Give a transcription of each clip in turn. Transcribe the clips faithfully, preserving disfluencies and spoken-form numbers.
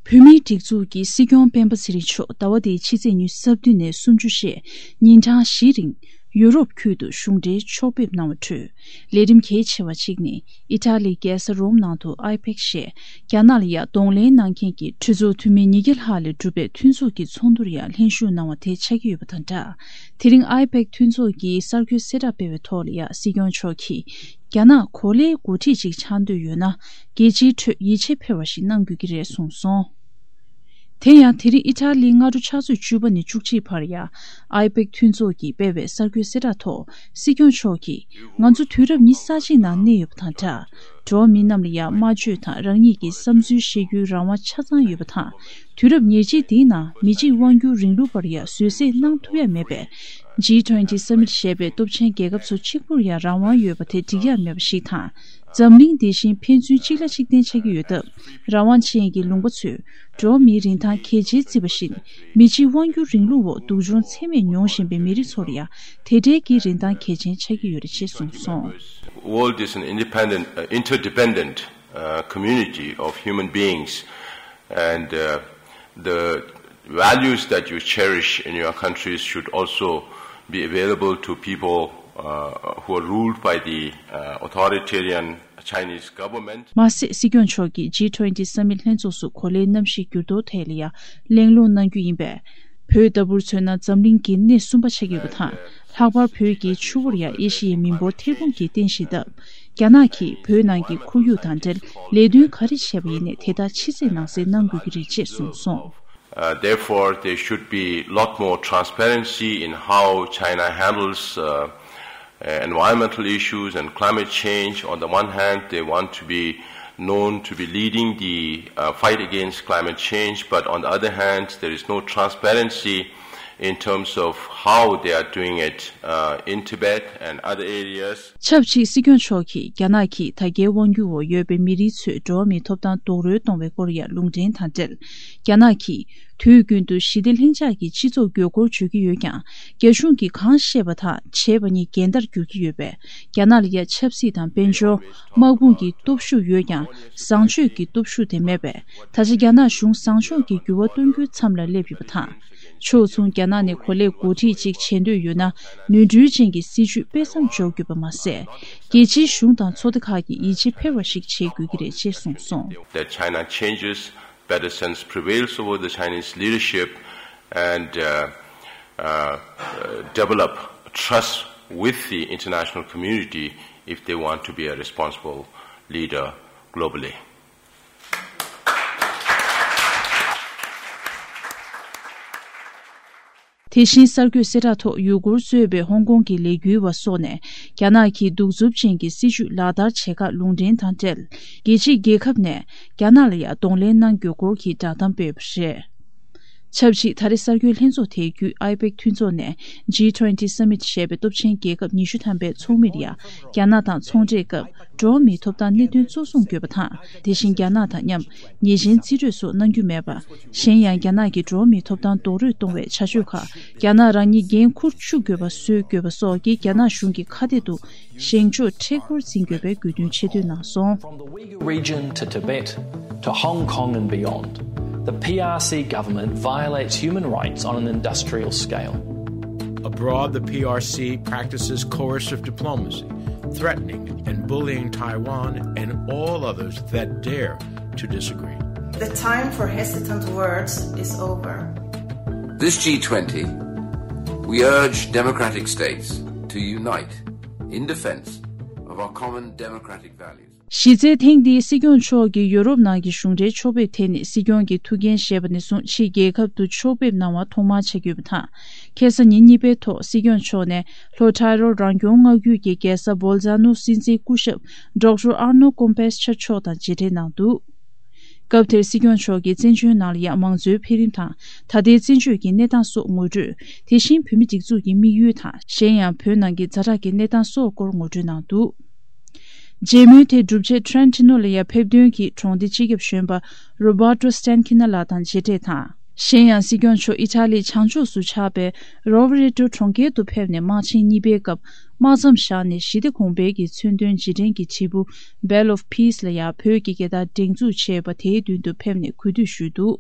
བོད་མིའི་སྒྲིག་འཛུགས་ཀྱི་སྲིད་སྐྱོང་སྤེན་པ་ཚེ་རིང་མཆོག་ཟླ་བ་འདིའི་ཕྱི་ཚེས་ཉི་ཤུ་རྩ་བདུན་ནས་སུམ་ཅུ་བཅས་ཉིན་གྲངས་བཞིའི་རིང་ཡུ་རོབ་ཁུལ་དུ་གཞུང་འབྲེལ་ཕྱོགས་ཕེབས་གནང་བ་ཁྲོད། ལས་རིམ་གལ་ཆེ་བ་གཅིག་ནི་ཨི་ཊ་ལིའི་རྒྱལ་ས་རོམ་ནང་དུ་ཨའི་པེག་ཞེས་རྒྱ་ནག་ལ་ཡང་གདོང་ལེན་གནང་མཁན་གྱི་གྲོས་ཚོགས་འཐུས་མི་ཉིས་བརྒྱ་ལྷག་ལས་གྲུབ་པའི་མཐུན་ཚོགས་ཀྱི་ཚོགས་འདུར་ཡང་ལྷན་ཞུགས་གནང་བ་དེ་ཆགས་ཀྱི་ཡོད་པ་དང་སྦྲགས། དེ་རིང་ཨའི་པེག་མཐུན་ཚོགས་ཀྱིས་གསར་འགོད་གསལ་བསྒྲགས་སྤེལ་བའི་ཐོག་ལ་ཡང་སྲིད་སྐྱོང་མཆོག་གིས། རྒྱ་ནག་གོ་ལའི་འགོ་ཁྲིད་ཅིག་ཆགས་འདོད་ཡོད་ན། རྒྱལ་སྤྱིའི་ཁྲོད་ཡིད་ཆེས་འཕེར་བ་ཞིག་གནང་དགོས་ཀྱི་རེད་གསུངས་སོང་། དེ་ཡང་དེ་རིང་ཨི་ཊ་ལིའི་སྔ་དྲོ་ཕྱག་ཚོད་བཅུ་པ་ནས་བཅུ་གཅིག་བར་ཡང་ཨའི་པེག་མཐུན་ཚོགས་ཀྱིས་སྤེལ་བའི་གསར་འགོད་གསལ་བསྒྲགས་ཐོག་སྲིད་སྐྱོང་མཆོག་གིས། ང་ཚོ་དུས་རབས་ཉི་ཤུ་རྩ་གཅིག་ནང་གནས་ཡོད་པ་དང་སྦྲགས། འགྲོ་བ་མི་རྣམས་ལ་ཡང་སྨྲ་བརྗོད་དང་རང་ཉིད་ཀྱི་བསམ་ཚུལ་བཤད་རྒྱུའི་རང་དབང་ཆ་ཚང་ཡོད་པ་དང་། དུས་རབས་ཉེར་གཅིག་འདིའི་ནང་མི་གཅིག་དབང་སྒྱུར་རིང་ལུགས་པར་ཡང་བཟོད་བསྲན་གནང་ཐུབ་ཡ་མེད་པས། ཇི་ཊུ་ཝེན་ཊི་སམ་མིཊ་ཞེས་པའི་སྟོབས་ཆེན་རྒྱལ་ཁབ་ཚོ་གཅིག་པུར་ཡང་རང་དབང་ཡོད་པ་དེ་འགྲིག་ཡ་མེད་པ་ཞིག་དང་། འཛམ་གླིང་འདི་བཞིན་ཕན་ཚུན་གཅིག་ལ་གཅིག་བརྟེན་ཆགས་ཀྱི་ཡོད་སྟབས། རང་དབང་ཅན་གྱི་ལུང་པ་ཚོས་འགྲོ་བ་མིའི་རིན་ཐང་གལ་ཆེར་བརྩི་བ་བཞིན། མི་གཅིག་དབང་སྒྱུར་རིང་ལུགས་འོག་སྡུག་སྦྱོང་ཚད་མེད་མྱོང་བཞིན་པའི་མི་རིགས་ཚོར་ཡང་དེ་འབྲེལ་གྱི་རིན་ཐང་གལ་ཆེན་ཆགས་ཀྱི་ཡོད་རེད་ཅེས་གསུངས་སོང་། World is an independent, uh, interdependent, uh, community of human beings, and, uh, the values that you cherish in your countries should also be available to people, uh, who are ruled by the, uh, authoritarian Chinese government. མ་ཟད་སྲིད་སྐྱོང་མཆོག་གིས་ཇི་ཊུ་ཝེན་ཊི་སམ་མིཊ་ལྷན་ཚོགས་སུ་གོ་ལའི་གནམ་གཤིས་འགྱུར་ལྡོག་ཐད་ལ་ཡང་གླེང་སློང་གནང་རྒྱུ་ཡིན་པས། བོད་ལྟ་བུར་མཚོན་ན་འཛམ་གླིང་གི་སྣེ་གསུམ་པ་ཆགས་ཀྱི་ཡོད་པ་དང་། ལྷག་པར་བོད་ཀྱི་ཆུ་བོར་ཡང་ཨེ་ཤི་ཡའི་མི་འབོར་ཐེར་འབུམ་གྱིས་བརྟེན་བཞིན་སྟབས། རྒྱ་ནག་གིས་བོད་ནང་གི་ཁོར་ཡུག་དང་འབྲེལ་ལས་དོན་ག་རེ་བྱས་པ་ཡིན་ནའི་དེ་དག་ཕྱི་གསལ་ནང་གསལ་གནང་དགོས་ཀྱི་རེད་ཅེས་གསུངས་སོང་། Uh, therefore, there should be a lot more transparency in how China handles, uh, uh, environmental issues and climate change. On the one hand, they want to be known to be leading the, uh, fight against climate change, but on the other hand, there is no transparency in terms of how they are doing it, uh, in Tibet and other areas. ཆབས་ཅིག་སྲིད་སྐྱོང་མཆོག་གིས་རྒྱ་ནག་གིས་ད་ལྟའི་དབང་སྒྱུར་འོག་ཡོད་པའི་མི་རིགས་ཚོའི་འགྲོ་བ་མིའི་ཐོབ་ཐང་རྡོག་རོལ་གཏོང་བའི་སྐོར་ཡང་ལུང་འདྲེན་དང་འབྲེལ། རྒྱ་ནག་གིས་དུས་རྒྱུན་དུ་ཞི་བདེ་ལྷིང་འཇགས་ཀྱི་སྤྱི་ཚོགས་དགོས་མཁོར་བརྗོད་ཀྱི་ཡོད་ཀྱང་། རྒྱ་གཞུང་གིས་གང་བཤད་པ་དང་བྱས་པ་གཉིས་འགལ་ཟླར་འགྱུར་གྱི་ཡོད་པས། རྒྱ་ནག་ལ་ཡང་ཆབ་སྲིད་དང་དཔལ་འབྱོར། དམག་དཔུང་གི་སྟོབས་ཤུགས་ཡོད་ཀྱང་བཟང་སྤྱོད་ཀྱི་སྟོབས་ཤུགས་དེ་མེད་པས། ད་ཆ་རྒྱ་ནག་གཞུང་བཟང་ཕྱོགས་ཀྱི་འགྱུར་བ་གཏོང་རྒྱུའི་མཚམས་ལ་སླེབས་ཡོད་པ་དང་། ཕྱོགས་མཚུངས་རྒྱ་ནག་ནས་གོ་ལའི་འགོ་ཁྲིད་ཅིག་བྱེད་འདོད་ཡོད་ན། ནོར་འཁྲུལ་ཅན་གྱི་སྲིད་ཇུས་སྤེལ་མཚམས་འཇོག་དགོས་པ་མ་ཟད། རྒྱལ་སྤྱིའི་གཞུང་དང་ཚོགས་སྡེ་ཁག་གིས་ཡིད་ཆེས་འཕེར་བ་ཞིག་བྱེད་དགོས་ཀྱི་རེད་ཅེས་གསུངས་སོང་། That China changes, better sense prevails over the Chinese leadership, and, uh, uh, develop trust with the international community if they want to be a responsible leader globally. དེ་བཞིན་གསར་འགོད་གསལ་བསྒྲགས་ཐོག་ཡུ་གུར་གཙོས་པའི་ཧོང་ཀོང་གི་ལས་འགུལ་བ་སོགས་ནས་རྒྱ་ནག་གི་གདུག་རྩུབ་ཅན་གྱི་སྲིད་བྱུས་ལག་བསྟར་བྱེད་ཁག་ལུང་འདྲེན་དང་འབྲེལ། རྒྱལ་སྤྱིའི་རྒྱལ་ཁབ་ནས་རྒྱ་ནག་ལ་ཡང་གདོང་ལེན་གནང་དགོས་སྐོར་གྱི་བསྒྲགས་གཏམ་སྤེལ་བ་རེད། ཆབས་ཅིག་ད་རེས་གསར་འགོད་ལྷན་ཚོགས་དེའི་བརྒྱུད་ཨའི་པེག་མཐུན་ཚོགས་ནས་ཇི་ཊུ་ཝེན་ཊི་སམ་མིཊ་ཞེས་པའི་སྟོབས་ཆེན་རྒྱལ་ཁབ་ཉི་ཤུ་ཐམ་པའི་ཚོགས་མིར་ཡང་རྒྱ་ནག་དང་ཚོང་འབྲེལ་སྐབས། འགྲོ་བ་མིའི་ཐོབ་ཐང་གནད་དོན་གཙོ་བཟུང་དགོས་པ་དང་། དེ་བཞིན་རྒྱ་ནག་དང་མཉམ་ཉེས་ཅན་རྩིས་སྤྲོད་སོགས་གནང་རྒྱུ་མེད་པ། གཞན་ཡང་རྒྱ་ནག་གིས་འགྲོ་བ་མིའི་ཐོབ་ཐང་རྡོག་རོལ་གཏོང་བའི་བྱ་སྤྱོད་ཁག་རྒྱ་ནག་རང་ཉིད་འགན་འཁུར་བཅུག་དགོས་པ་བཟོ་དགོས་པ་སོགས་ཀྱི་རྒྱ་ནག་གཞུང་གི་ཁ་གཏད་དུ་བཞེངས་ཕྱོགས་མཁྲེགས་པོར་འཛིན་དགོས་པའི་དགོས་འདུན་ཆེ་བསྟོད་གནང་སོང་། From the Uyghur region to Tibet to Hong Kong and beyond, the P R C government violates human rights on an industrial scale. Abroad, the P R C practices coercive diplomacy, threatening and bullying Taiwan and all others that dare to disagree. The time for hesitant words is over. This G twenty, we urge democratic states to unite in defense of our common democratic values. གཞི་རྩའི་ཐེངས་འདིའི་སྲིད་སྐྱོང་མཆོག་གིས་ཡོ་རོབ་ནང་གི་གཞུང་འབྲེལ་ཕྱོགས་ཕེབས་དེ་ནི་སྲིད་སྐྱོང་གི་ཐུགས་འགན་བཞེས་པ་ནས་བཟུང་ཕྱིའི་རྒྱལ་ཁབ་ཏུ་ཕྱོགས་ཕེབས་གནང་བ་ཐོག་མར་ཆགས་ཀྱི་ཡོད་པ་དང་། ཁ་སང་ཉིན་གཉིས་པའི་ཐོག་སྲིད་སྐྱོང་མཆོག་ནས་ལྷོ་ཊའི་རོ་རང་སྐྱོང་མངའ་ཁུལ་གྱི་རྒྱལ་ས་བོལ་ཛ་ནོ་སྲིད་འཛིན་སྐུ་ཞབས་ཌོག་ཊར་ཨར་ནོ་ཀོམ་པེས་ཆར་མཆོག་དང་མཇལ་འཕྲད་གནང་འདུག་སྐབས་དེར་སྲིད་སྐྱོང་མཆོག་གིས་བཙན་བྱོལ་ནང་ལ་ཡང་མང་གཙོའི་འཕེལ་རིམ་དང་། ད་ལྟའི་བཙན་བྱོལ་གྱི་གནས་སྟངས་སོགས་ངོ་སྤྲོད། དེ་བཞིན་བོད་མིའི་སྒྲིག་འཛུགས་ཀྱི་དམིགས་ཡུལ་དང་། གཞན་ཡང་བོད་ནང་གི་ཛ་དྲག་གི་གནས་སྟངས་སོགས་སྐོར་ངོ་སྤྲོད་གནང་འདུག་མཇལ་མོལ་དེ་གྲུབ་རྗེས་ཊོ་རོན་ཊོ་ལ་ཡང་ཕེབས་ཐོན་གྱིས་གྲོང་སྡེ་སྤྱི་ཁྱབ་གཞོན་པ་རོ་བར་ཊོ་སི་ཊན་ཁི་ན་ལགས་དང་མཇལ་འཕྲད་དང་། གཞན་ཡང་སྲིད་སྐྱོང་མཆོག་ཨི་ཊ་ལིའི་བྱང་ཕྱོགས་སུ་ཆགས་པའི་རོ་བྷ་རེ་ཏོ་གྲོང་ཁྱེར་དུ་ཕེབས་ནས་དམག་ཆེན་གཉིས་པའི་སྐབས་དམག་མཚམས་བཞག་ནས་ཞི་བདེ་གོང་འཕེལ་གྱི་མཚོན་དོན་རྗེས་དྲན་གྱི་བྲིས་འབུར་Bell of Peace ལ་ཡང་བོད་ཀྱི་རྒྱལ་དར་སྒྲེང་འཛུགས་བྱས་པ་དེའི་མདུན་དུ་ཕེབས་ནས་གུས་འདུད་ཞུས་འདུག།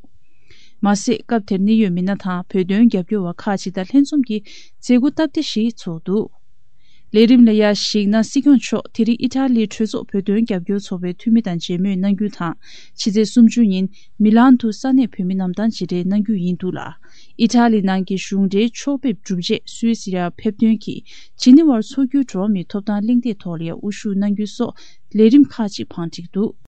མ་ཟད་སྐབས་དེར་གནད་ཡོད་མི་སྣ་དང་བོད་དོན་རྒྱབ་སྐྱོར་བ་ཁག་ཅིག་དང་ལྷན་འཛོམས་ཀྱིས་མཛད་སྒོ་སྟབས་བདེ་ཞིག་ཚོགས་འདུག། ལས་རིམ་ལ་ཡར་གཞིགས་ན། སྲིད་སྐྱོང་མཆོག་དེ་རིང་ཨི་ཊ་ལིའི་གྲོས་ཚོགས་བོད་དོན་རྒྱབ་སྐྱོར་ཚོགས་པའི་འཐུས་མི་དང་མཇལ་མོལ་གནང་རྒྱུ་དང་། ཕྱི་ཚེས་སུམ་ཅུ་ཉིན་མི་ལན་དུ་ས་གནས་བོད་མི་རྣམས་དང་མཇལ་འཕྲད་གནང་རྒྱུ་ཡིན་འདུག་ལ། ཨི་ཊ་ལི་ནང་གི་གཞུང་འབྲེལ་ཕྱོགས་ཕེབས་གྲུབ་རྗེས་སུད་སི་ཡར་ཕེབས་ཐོན་གྱིས་ཇི་ནི་ཝར་མཚོ་ཁུལ་འགྲོ་བ་མིའི་ཐོབ་ཐང་གླེང་སྟེགས་ཐོག་ལ་ཡང་དབུ་བཞུགས་གནང་རྒྱུ་སོགས་ལས་རིམ་ཁག་ཅིག་བང་བསྒྲིགས་འདུག།